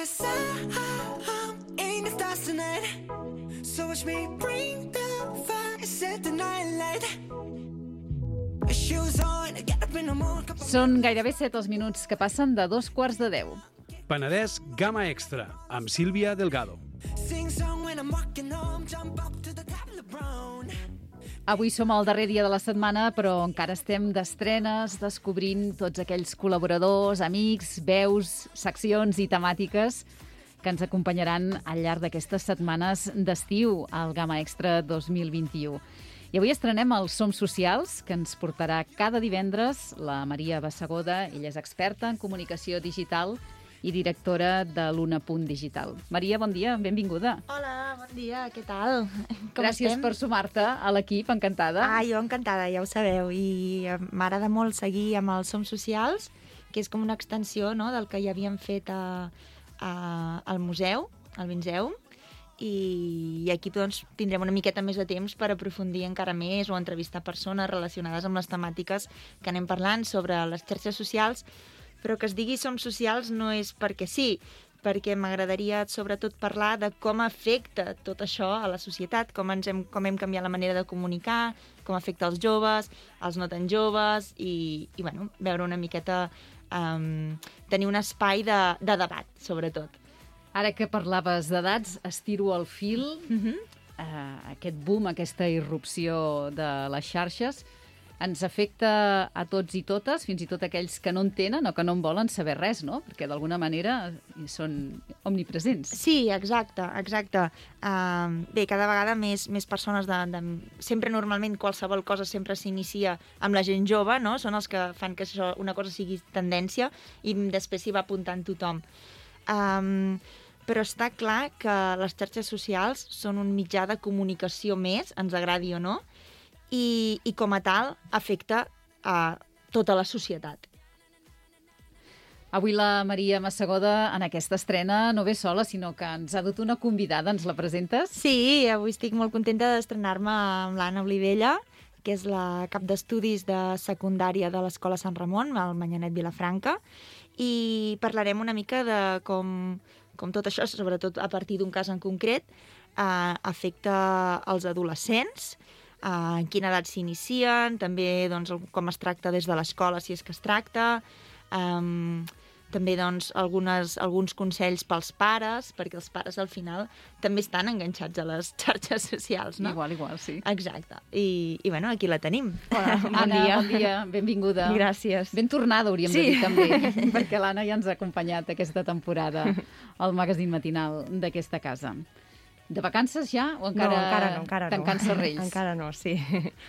sound in the stars tonight. So watch me bring the fire, set the night light. Shoes on, get up in the morning. Són gairebé 7 els minuts que passen de 2:45. Penedès Gamma Extra, amb Sílvia Delgado. Sing song when I'm walking home, jump up to the top of the brown. Avui som al darrer dia de la setmana, però encara estem d'estrenes, descobrint tots aquells col·laboradors, amics, veus, seccions i temàtiques que ens acompanyaran al llarg d'aquestes setmanes d'estiu al Gamma Extra 2021. I avui estrenem els Som Socials, que ens portarà cada divendres la Maria Bassegoda. Ella és experta en comunicació digital i directora de l'Una.digital. Maria, bon dia, benvinguda. Hola, bon dia, què tal? Gràcies per sumar-te a l'equip, encantada. Jo encantada, ja ho sabeu, i m'agrada molt seguir amb els Som Socials, que és com una extensió, no?, del que ja havíem fet al museu, al Vinzeum, i aquí doncs, tindrem una miqueta més de temps per aprofundir encara més o entrevistar persones relacionades amb les temàtiques que anem parlant sobre les xarxes socials, però que es digui Som Socials no és perquè sí, perquè m'agradaria sobretot parlar de com afecta tot això a la societat, com hem canviat la manera de comunicar, com afecta els joves, els no tan joves, i bueno, veure una miqueta, tenir un espai de debat, sobretot. Ara que parlaves d'edats, estiro el fil, aquest boom, aquesta irrupció de les xarxes, ens afecta a tots i totes, fins i tot aquells que no en tenen o que no en volen saber res, no? Perquè d'alguna manera són omnipresents. Sí, exacte. Bé, cada vegada més persones sempre normalment qualsevol cosa sempre s'inicia amb la gent jove, no? Són els que fan que això, una cosa sigui tendència i després s'hi va apuntant tothom. Però està clar que les xarxes socials són un mitjà de comunicació més, ens agradi o no, i com a tal afecta a tota la societat. Avui la Maria Bassegoda en aquesta estrena no ve sola, sinó que ens ha dut una convidada. Ens la presentes? Sí, avui estic molt contenta d'estrenar-me amb l'Anna Olivella, que és la cap d'estudis de secundària de l'Escola Sant Ramon, al Manyanet Vilafranca, i parlarem una mica de com tot això, sobretot a partir d'un cas en concret, afecta els adolescents, en quina edat s'inicien, també doncs, com es tracta des de l'escola, si és que es tracta, també doncs, alguns consells pels pares, perquè els pares al final també estan enganxats a les xarxes socials, no? Igual, sí. Exacte. I bueno, aquí la tenim. Hola, Anna, bon dia, benvinguda. Gràcies. Ben tornada, hauríem de dir també, perquè l'Anna ja ens ha acompanyat aquesta temporada al magazín matinal d'aquesta casa. De vacances ja o encara, encara no. Tancant serrells? Encara no, sí.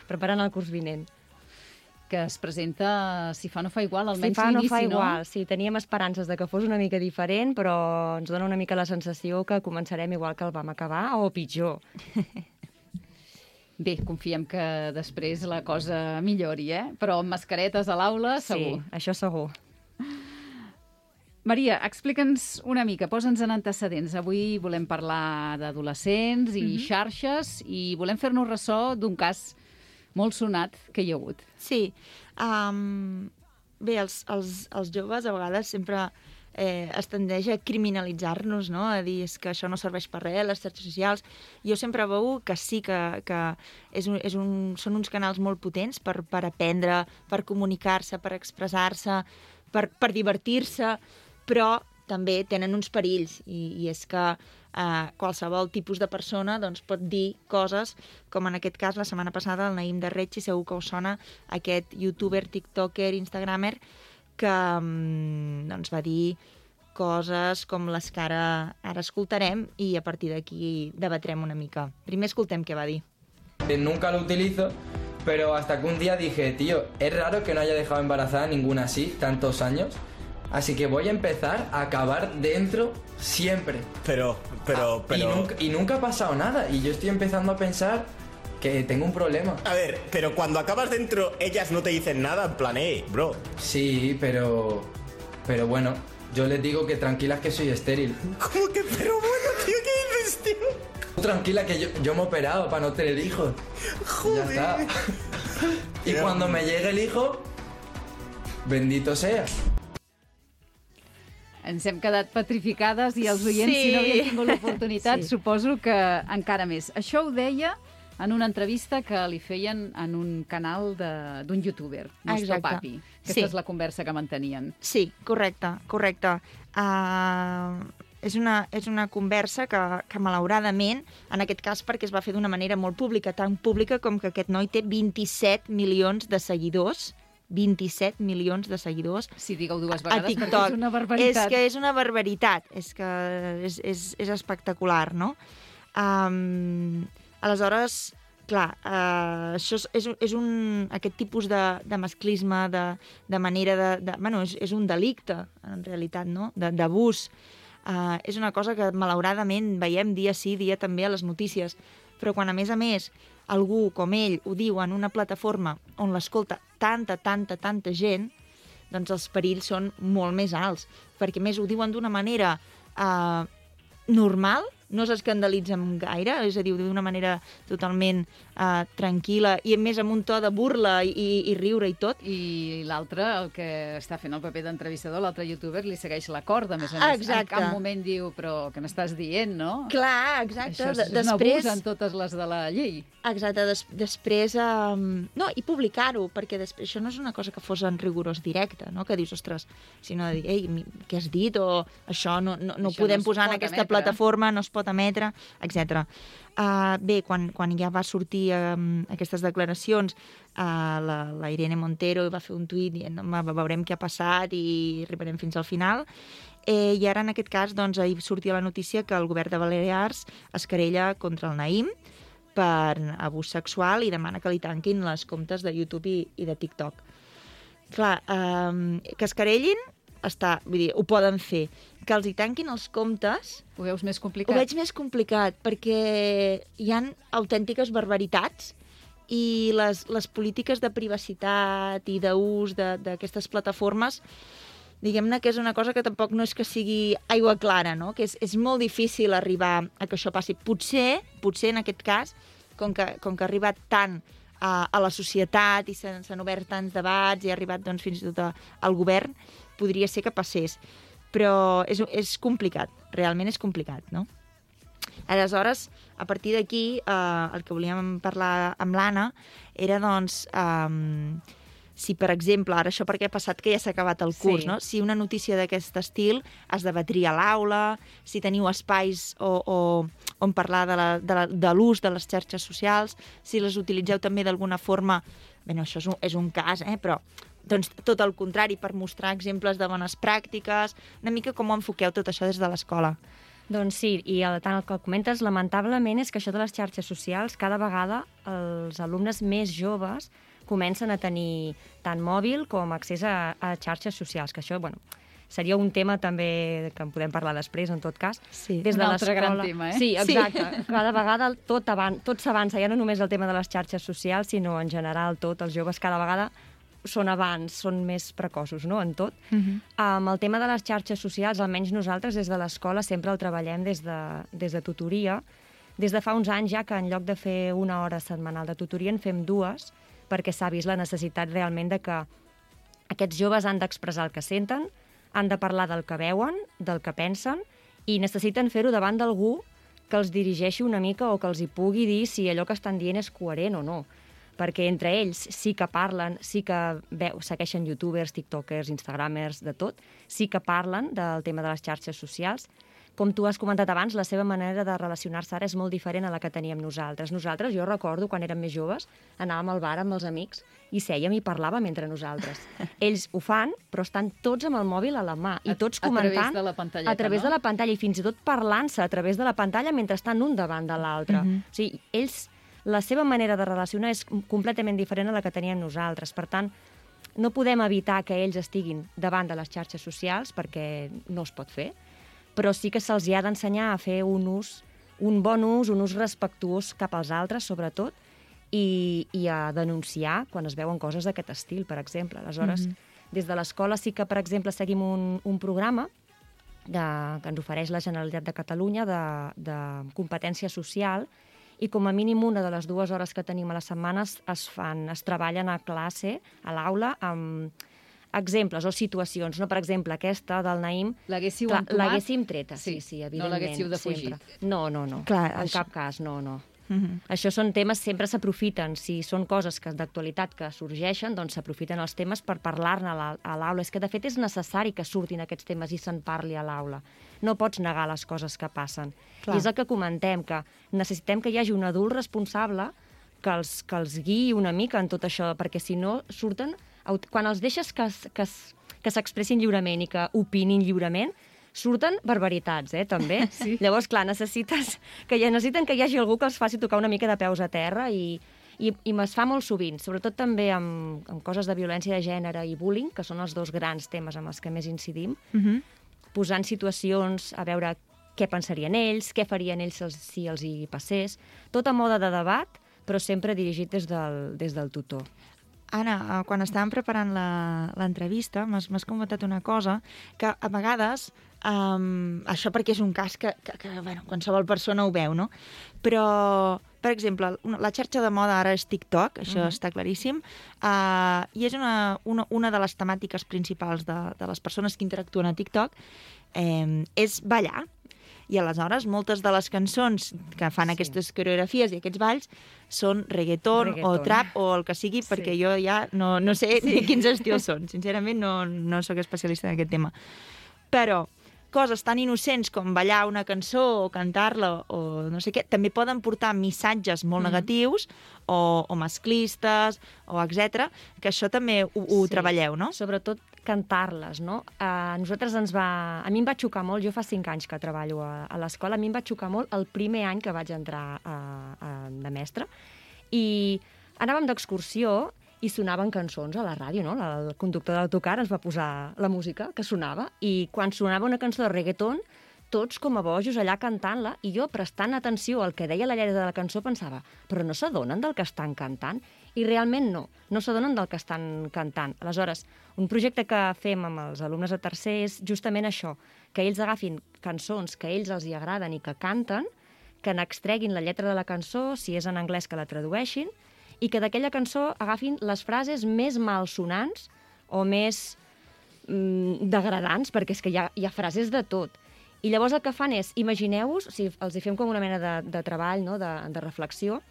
Preparant el curs vinent. Que es presenta, si fa no fa igual, almenys si fa, l'inici, no fa igual. Sí, teníem esperances de que fos una mica diferent, però ens dona una mica la sensació que començarem igual que el vam acabar, o pitjor. Bé, confiem que després la cosa millori, Però amb mascaretes a l'aula, segur. Sí, això segur. Maria, explica'ns una mica, posa'ns en antecedents. Avui volem parlar d'adolescents i xarxes i volem fer-nos ressò d'un cas molt sonat que hi ha hagut. Sí. Bé, els joves a vegades sempre es tendeix a criminalitzar-nos, no? A dir és que això no serveix per res, les xarxes socials. Jo sempre veu que sí que són uns canals molt potents per aprendre, per comunicar-se, per expressar-se, per divertir-se, però també tenen uns perills, i és que qualsevol tipus de persona doncs, pot dir coses, com en aquest cas la setmana passada el Naïm de Retxi, segur que us sona, aquest youtuber, tiktoker, instagramer, que doncs, va dir coses com les que ara escoltarem i a partir d'aquí debatrem una mica. Primer escoltem què va dir. Nunca lo utilizo, pero hasta que un día dije, tío, es raro que no haya dejado embarazada ninguna así, tantos años. Así que voy a empezar a acabar dentro siempre. Pero... Y nunca ha pasado nada. Y yo estoy empezando a pensar que tengo un problema. A ver, pero cuando acabas dentro, ellas no te dicen nada, en plan, bro. Sí, pero bueno, yo les digo que tranquilas que soy estéril. ¿Cómo que? Pero bueno, tío, ¿qué dices, tío? Tranquila que yo me he operado para no tener hijos. Joder. Ya está. Y cuando me llegue el hijo, bendito sea. Ens hem quedat petrificades i els oients, si no havien tingut l'oportunitat, suposo que encara més. Això ho deia en una entrevista que li feien en un canal d'un youtuber, Nostro Papi. Aquesta és la conversa que mantenien. Sí, correcte. És una conversa que malauradament, en aquest cas perquè es va fer d'una manera molt pública, tan pública com que aquest noi té 27 milions de seguidors, 27 milions de seguidors si digueu dues vegades, a TikTok. perquè és una barbaritat. És que és una barbaritat, és espectacular, no? Aleshores, clar, això és aquest tipus de masclisme, de manera bueno, és un delicte, en realitat, no? D'abús. És una cosa que, malauradament, veiem dia sí, dia també a les notícies. Però quan, a més, algú com ell ho diu en una plataforma on l'escolta tanta gent, doncs els perills són molt més alts. Perquè, més, ho diuen d'una manera normal, no s'escandalitzen gaire, és a dir, d'una manera totalment tranquil·la i, a més, amb un to de burla i riure i tot. I l'altre, el que està fent el paper d'entrevistador, l'altre youtuber, li segueix la corda, a més a més. Exacte. En cap moment diu, però què m'estàs dient, no? Clar, exacte. Això és un abús en totes les de la llei. Exacte, després... No, i publicar-ho, perquè després això no és una cosa que fos en rigorós directe, no? Que dius, ostres, sinó de dir, ei, què has dit? O això no ho podem posar en aquesta plataforma, no es pot emetre, etc. Bé, quan ja va sortir aquestes declaracions, la Irene Montero va fer un tuit dient veurem què ha passat i arribarem fins al final. I ara, en aquest cas, doncs, ahir sortia la notícia que el govern de Balears es querella contra el Naïm per abús sexual i demana que li tanquin les comptes de YouTube i de TikTok. Clar, que es querellin, vull dir, ho poden fer. Que els hi tanquin els comptes... Ho veus més complicat? Ho veig més complicat, perquè hi han autèntiques barbaritats i les polítiques de privacitat i d'ús d'aquestes plataformes, diguem-ne que és una cosa que tampoc no és que sigui aigua clara, no? Que és molt difícil arribar a que això passi. Potser en aquest cas, com que ha arribat tant a la societat i s'han obert tants debats i ha arribat doncs, fins i tot al govern, podria ser que passés. Però és complicat, realment és complicat, no? Aleshores, a partir d'aquí, el que volíem parlar amb l'Anna era, doncs, si, per exemple, ara això perquè ha passat que ja s'ha acabat el curs, no? Si una notícia d'aquest estil es debatria a l'aula, si teniu espais on parlar de l'ús de les xarxes socials, si les utilitzeu també d'alguna forma... Bé, això és un cas, però... Doncs tot el contrari, per mostrar exemples de bones pràctiques, una mica com ho enfoqueu tot això des de l'escola. Doncs sí, i tant el que comentes, lamentablement, és que això de les xarxes socials, cada vegada els alumnes més joves comencen a tenir tant mòbil com accés a xarxes socials, que això, bueno, seria un tema també que en podem parlar després, en tot cas. Sí, un altre gran tema, Sí, exacte. Sí. Cada vegada tot s'avança, ja no només el tema de les xarxes socials, sinó en general tot. Els joves cada vegada són més precoços, no?, en tot. El tema de les xarxes socials, almenys nosaltres des de l'escola sempre el treballem des de tutoria. Des de fa uns anys ja que en lloc de fer una hora setmanal de tutoria en fem 2, perquè s'ha vist la necessitat realment de que aquests joves han d'expressar el que senten, han de parlar del que veuen, del que pensen, i necessiten fer-ho davant d'algú que els dirigeixi una mica o que els hi pugui dir si allò que estan dient és coherent o no. Perquè entre ells sí que parlen, sí que segueixen youtubers, tiktokers, instagramers, de tot, sí que parlen del tema de les xarxes socials. Com tu has comentat abans, la seva manera de relacionar-se ara és molt diferent a la que teníem nosaltres. Nosaltres, jo recordo, quan érem més joves, anàvem al bar amb els amics i sèiem i parlàvem entre nosaltres. Ells ho fan, però estan tots amb el mòbil a la mà i tots comentant... A través de la pantalleta, a través de la pantalla, i fins i tot parlant-se a través de la pantalla mentre estan un davant de l'altre. O sigui, ells... La seva manera de relacionar és completament diferent a la que teníem nosaltres. Per tant, no podem evitar que ells estiguin davant de les xarxes socials, perquè no es pot fer, però sí que se'ls ha d'ensenyar a fer un bon ús, un ús respectuós cap als altres, sobretot, i a denunciar quan es veuen coses d'aquest estil, per exemple. Aleshores, des de l'escola sí que, per exemple, seguim un programa que ens ofereix la Generalitat de Catalunya de competència social, i com a mínim una de les 2 hores que tenim a la setmana es treballen a classe, a l'aula, amb exemples o situacions, no? Per exemple, aquesta del Naïm... L'haguéssiu clar, entomat? l'haguéssim treta, sí, evidentment. No l'haguéssiu defugit? Sempre. No. Clar, En cap cas, no. Això són temes, sempre s'aprofiten. Si són coses d'actualitat que sorgeixen, doncs s'aprofiten els temes per parlar-ne a l'aula. És que, de fet, és necessari que surtin aquests temes i se'n parli a l'aula. No pots negar les coses que passen. Clar. I és el que comentem, que necessitem que hi hagi un adult responsable que els guiï una mica en tot això, perquè si no surten... Quan els deixes que s'expressin lliurement i que opinin lliurement, surten barbaritats, també. Sí. Llavors, clar, necessiten que hi hagi algú que els faci tocar una mica de peus a terra i es fa molt sovint, sobretot també amb coses de violència de gènere i bullying, que són els dos grans temes amb els que més incidim, posant situacions a veure què pensarien ells, què farien ells si els hi passés, tot a mode de debat, però sempre dirigit des del tutor. Anna, quan estàvem preparant l'entrevista, m'has comentat una cosa, que a vegades, això perquè és un cas que qualsevol persona ho veu, no? Però, per exemple, la xarxa de moda ara és TikTok, això està claríssim, i és una de les temàtiques principals de les persones que interactuen a TikTok, és ballar. I aleshores moltes de les cançons que fan aquestes coreografies i aquests balls són reggaeton o trap o el que sigui, perquè jo ja no sé ni quins estils són. Sincerament no sóc especialista en aquest tema. Però coses tan innocents com ballar una cançó o cantar-la o no sé què, també poden portar missatges molt negatius o masclistes o etc. Que això també ho treballeu, no? Sobretot cantar-les, no? A mi em va xocar molt, jo fa 5 anys que treballo a l'escola, a mi em va xocar molt el primer any que vaig entrar de mestra, i anàvem d'excursió i sonaven cançons a la ràdio, no? El conductor de l'autocar ens va posar la música que sonava, i quan sonava una cançó de reggaeton, tots com a bojos allà cantant-la, i jo, prestant atenció al que deia la lletra de la cançó, pensava, però no s'adonen del que estan cantant? I realment no s'adonen del que estan cantant. Aleshores, un projecte que fem amb els alumnes de tercer és justament això, que ells agafin cançons que a ells els hi agraden i que canten, que n'extreguin la lletra de la cançó, si és en anglès que la tradueixin, i que d'aquella cançó agafin les frases més malsonants o més degradants, perquè és que hi ha frases de tot. I llavors el que fan és, imagineu-vos, els hi fem com una mena de treball, no? de reflexió,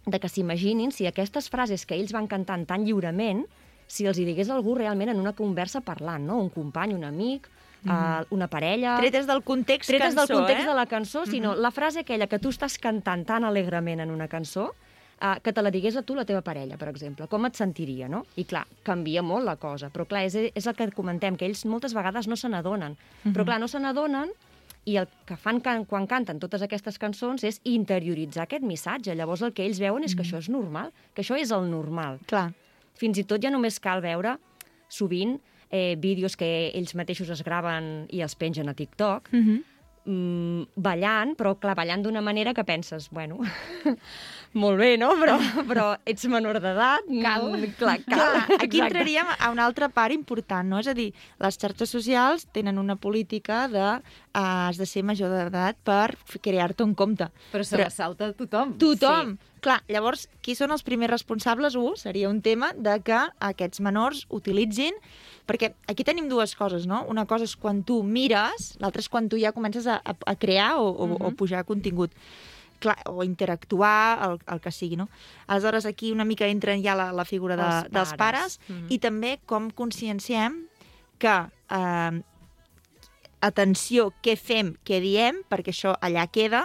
de que s'imaginin si aquestes frases que ells van cantant tan lliurement, si els hi digués algú realment en una conversa parlant, no? Un company, un amic, una parella... Tretes del context Tretes cançó, del context de la cançó, sinó la frase aquella que tu estàs cantant tan alegrement en una cançó, que te la digués a tu la teva parella, per exemple. Com et sentiria, no? I clar, canvia molt la cosa, però clar, és el que comentem, que ells moltes vegades no se n'adonen. Però clar, no se n'adonen, i el que fan quan canten totes aquestes cançons és interioritzar aquest missatge. Llavors el que ells veuen és que això és normal, que això és el normal. Clar. Fins i tot ja només cal veure, sovint, vídeos que ells mateixos es graven i els pengen a TikTok, ballant, però clar, ballant d'una manera que penses, bueno, molt bé, no? Però ets menor d'edat. Cal. Aquí entraríem a una altra part important, no? És a dir, les xarxes socials tenen una política de has de ser major d'edat per crear-te un compte. Però se la salta tothom. Tothom! Sí. Clar, llavors, qui són els primers responsables? Seria un tema de que aquests menors utilitzin... Perquè aquí tenim dues coses, no? Una cosa és quan tu mires, l'altra és quan tu ja comences a crear o pujar contingut. Clar, o interactuar, el que sigui, no? Aleshores, aquí una mica entra ja la figura dels pares i també com conscienciem que atenció, què fem, què diem, perquè això allà queda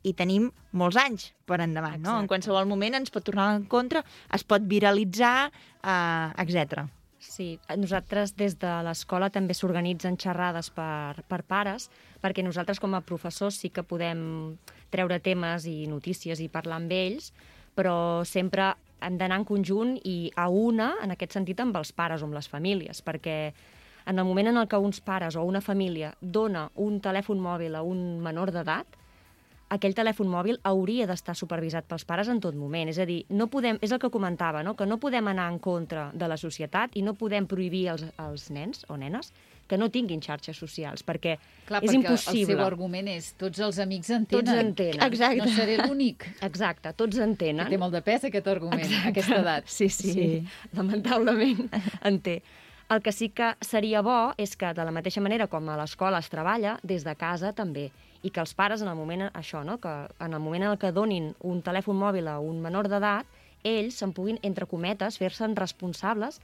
i tenim molts anys per endavant, no? En qualsevol moment ens pot tornar en contra, es pot viralitzar, etc. Sí, nosaltres des de l'escola també s'organitzen xerrades per pares, perquè nosaltres com a professors sí que podem treure temes i notícies i parlar amb ells, però sempre hem d'anar en conjunt i a una, en aquest sentit, amb els pares o amb les famílies, perquè en el moment en el que uns pares o una família dona un telèfon mòbil a un menor d'edat, aquell telèfon mòbil hauria d'estar supervisat pels pares en tot moment. És a dir, no podem, és el que comentava, no? Que no podem anar en contra de la societat i no podem prohibir als nens o nenes que no tinguin xarxes socials, perquè és impossible. El seu argument és tots els amics entenen. Tots entenen. Exacte. No seré l'únic. Exacte, tots entenen. Que té molt de pes aquest argument, a aquesta edat. Sí. Lamentablement en té. El que sí que seria bo és que, de la mateixa manera com a l'escola es treballa, des de casa també, i que els pares, en el moment, això, no? Que en el moment en el que donin un telèfon mòbil a un menor d'edat, ells se'n puguin, entre cometes, fer-se'n responsables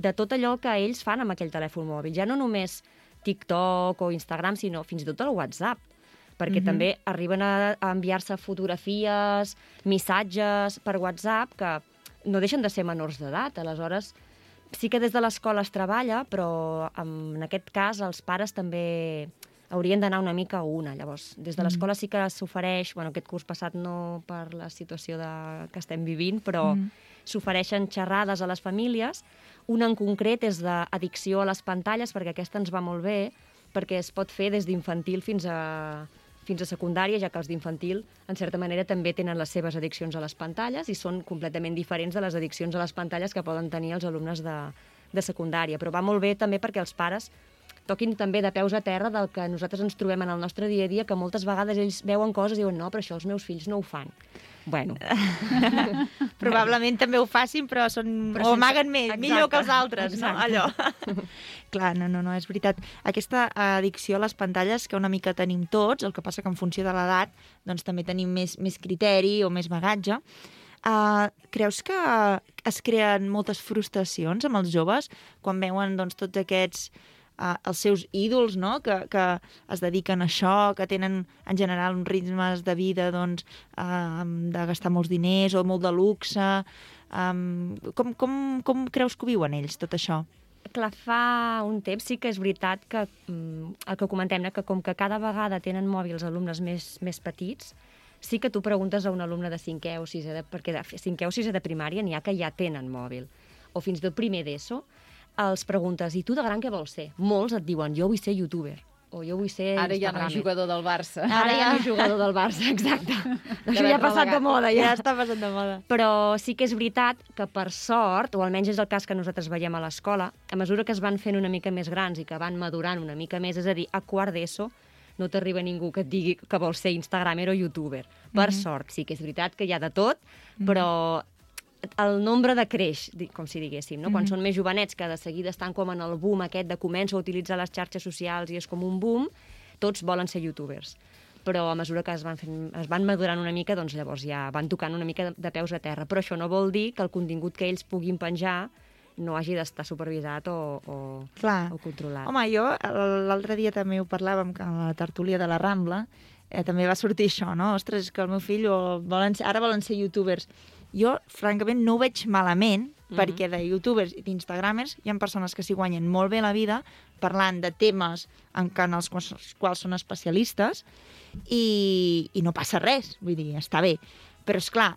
de tot allò que ells fan amb aquell telèfon mòbil. Ja no només TikTok o Instagram, sinó fins i tot el WhatsApp, perquè també arriben a enviar-se fotografies, missatges per WhatsApp que no deixen de ser menors d'edat. Aleshores, sí que des de l'escola es treballa, però en aquest cas els pares també haurien d'anar una mica a una. Llavors, des de l'escola sí que s'ofereix, bueno, aquest curs passat no per la situació que estem vivint, però s'ofereixen xerrades a les famílies. Una en concret és d'addicció a les pantalles, perquè aquesta ens va molt bé, perquè es pot fer des d'infantil fins a secundària, ja que els d'infantil, en certa manera, també tenen les seves addiccions a les pantalles i són completament diferents de les addiccions a les pantalles que poden tenir els alumnes de secundària. Però va molt bé també perquè els pares toquin també de peus a terra del que nosaltres ens trobem en el nostre dia a dia, que moltes vegades ells veuen coses i diuen no, però això els meus fills no ho fan. Bueno. Probablement també ho facin, però o amaguen més, millor que els altres, no? Allò. Clar, no, és veritat. Aquesta addicció a les pantalles que una mica tenim tots, el que passa que en funció de l'edat doncs també tenim més criteri o més bagatge. Creus que es creen moltes frustracions amb els joves quan veuen doncs, tots aquests els seus ídols, no? que es dediquen a això, que tenen en general uns ritmes de vida doncs, de gastar molts diners o molt de luxe. Com creus que ho viuen ells, tot això? Clar, fa un temps sí que és veritat que el que comentem, que com que cada vegada tenen mòbil els alumnes més petits, sí que tu preguntes a un alumne de 5è o 6è, perquè de 5è o 6è de primària n'hi ha que ja tenen mòbil, o fins del primer d'ESO, els preguntes, i tu de gran què vols ser? Molts et diuen, jo vull ser youtuber, o jo vull ser Ara ja no és jugador del Barça. Ara ja no és jugador del Barça, exacte. Això ja ha passat de moda. Ja està passant de moda. Però sí que és veritat que, per sort, o almenys és el cas que nosaltres veiem a l'escola, a mesura que es van fent una mica més grans i que van madurant una mica més, és a dir, a quart d'ESO, no t'arriba ningú que et digui que vol ser instagramer o youtuber. Per sort, sí que és veritat que hi ha de tot, però el nombre decreix, com si diguéssim, no? Quan són més jovenets, que de seguida estan com en el boom aquest de començo a utilitzar les xarxes socials i és com un boom, tots volen ser youtubers. Però a mesura que es van madurant una mica, doncs llavors ja van tocant una mica de peus a terra. Però això no vol dir que el contingut que ells puguin penjar no hagi d'estar supervisat o controlat. Home, jo l'altre dia també ho parlàvem a la tertúlia de la Rambla, també va sortir això, no? Ostres, és que el meu fill ara volen ser youtubers. Jo, francament, no ho veig malament, perquè de youtubers i d'instagramers hi ha persones que s'hi guanyen molt bé la vida parlant de temes en els quals són especialistes i no passa res, vull dir, està bé. Però, esclar,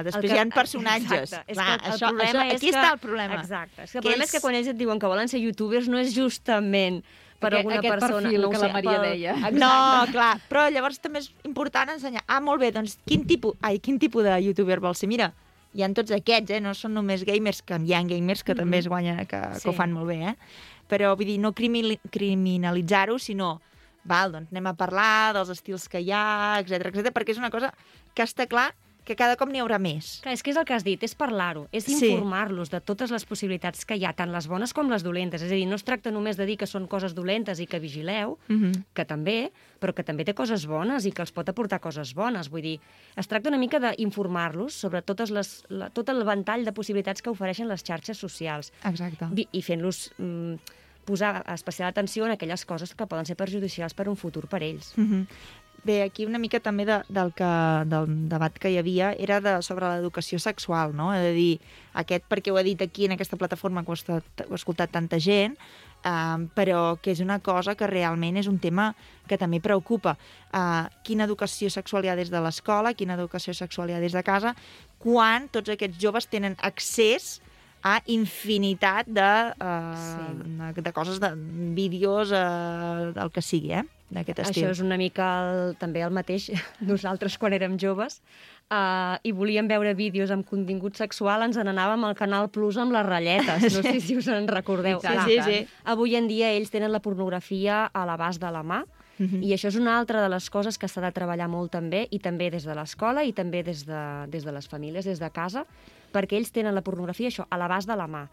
després hi ha personatges. Exacte. Clar, aquí està el problema. Exacte. El problema és que quan ells et diuen que volen ser youtubers no és justament per alguna persona... perfil que la Maria deia. No, clar, però llavors també és important ensenyar. Molt bé, doncs quin tipus de youtuber vols ser? Mira, hi ha tots aquests, no són només gamers, que hi ha gamers que també es guanyen, que ho fan molt bé, Però, vull dir, no criminalitzar-ho, sinó, doncs anem a parlar dels estils que hi ha, etc, perquè és una cosa que està clar que cada cop n'hi haurà més. Clar, és que és el que has dit, és parlar-ho, és informar-los de totes les possibilitats que hi ha, tant les bones com les dolentes. És a dir, no es tracta només de dir que són coses dolentes i que vigileu, que també, però que també té coses bones i que els pot aportar coses bones. Vull dir, es tracta una mica d'informar-los sobre tot el ventall de possibilitats que ofereixen les xarxes socials. Exacte. I fent-los posar especial atenció en aquelles coses que poden ser perjudicials per un futur per ells. Bé, aquí una mica també del debat que hi havia era sobre l'educació sexual, no? És a dir, perquè ho he dit aquí en aquesta plataforma que ho ha escoltat tanta gent, però que és una cosa que realment és un tema que també preocupa. Quina educació sexual hi ha des de l'escola, quina educació sexual hi ha des de casa, quan tots aquests joves tenen accés a infinitat de coses, de vídeos, el que sigui, d'aquest estil. Això és una mica també el mateix nosaltres quan érem joves i volíem veure vídeos amb contingut sexual, ens n'anàvem al Canal Plus amb les ratlletes. No sé si us en recordeu. Sí. Avui en dia ells tenen la pornografia a l'abast de la mà i això és una altra de les coses que s'ha de treballar molt també, i també des de l'escola i també des de les famílies, des de casa, perquè ells tenen la pornografia, això, a l'abast de la mà.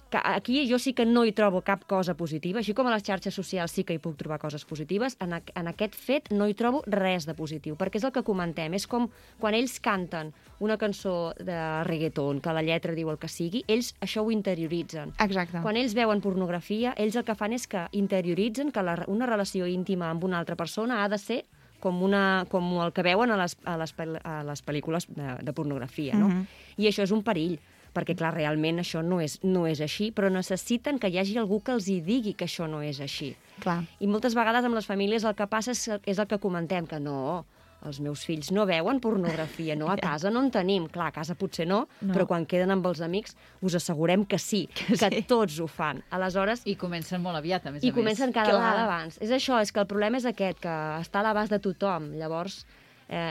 que aquí jo sí que no hi trobo cap cosa positiva, així com a les xarxes socials sí que hi puc trobar coses positives, en aquest fet no hi trobo res de positiu, perquè és el que comentem, és com quan ells canten una cançó de reggaeton, que la lletra diu el que sigui, ells això ho interioritzen. Exacte. Quan ells veuen pornografia, ells el que fan és que interioritzen que una relació íntima amb una altra persona ha de ser com el que veuen a les pel·lícules de pornografia, no? I això és un perill, perquè, clar, realment això no és així, però necessiten que hi hagi algú que els hi digui que això no és així. Clar. I moltes vegades amb les famílies el que passa és el que comentem, que no, els meus fills no veuen pornografia, no, a casa no en tenim. Clar, a casa potser no, però quan queden amb els amics us assegurem que sí, que tots ho fan. Aleshores... I comencen molt aviat, a més a més. I comencen cada vegada abans. És això, és que el problema és aquest, que està a l'abast de tothom. Llavors,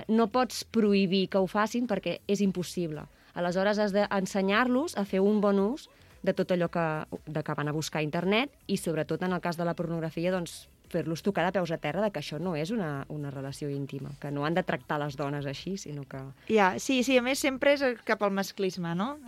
no pots prohibir que ho facin perquè és impossible. Aleshores, has d'ensenyar-los a fer un bon ús de tot allò que van a buscar a internet i, sobretot, en el cas de la pornografia, doncs, fer-los tocar de peus a terra de que això no és una relació íntima, que no han de tractar les dones així, sinó que... Sí, a més sempre és cap al masclisme, no?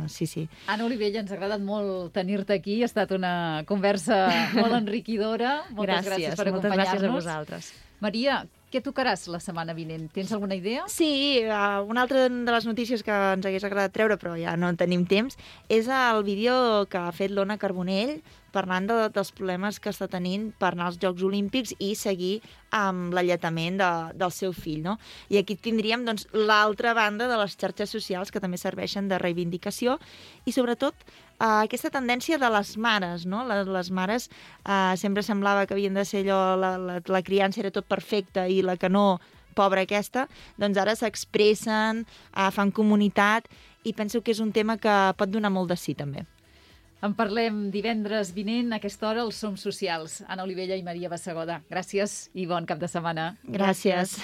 Sí. Anna Olivella, ens ha agradat molt tenir-te aquí, ha estat una conversa molt enriquidora. Moltes gràcies per acompanyar-nos. Moltes gràcies a vosaltres. Maria, què tocaràs la setmana vinent? Tens alguna idea? Sí, una altra de les notícies que ens hagués agradat treure, però ja no en tenim temps, és el vídeo que ha fet l'Ona Carbonell parlant dels problemes que està tenint per anar als Jocs Olímpics i seguir amb l'alletament del seu fill, no? I aquí tindríem doncs, l'altra banda de les xarxes socials que també serveixen de reivindicació i, sobretot, aquesta tendència de les mares, no? Les mares sempre semblava que havien de ser allò, la criança era tot perfecta i la que no, pobra aquesta, doncs ara s'expressen, fan comunitat i penso que és un tema que pot donar molt de sí, també. En parlem divendres vinent, a aquesta hora, els Som Socials. Anna Olivella i Maria Bassegoda. Gràcies i bon cap de setmana. Gràcies.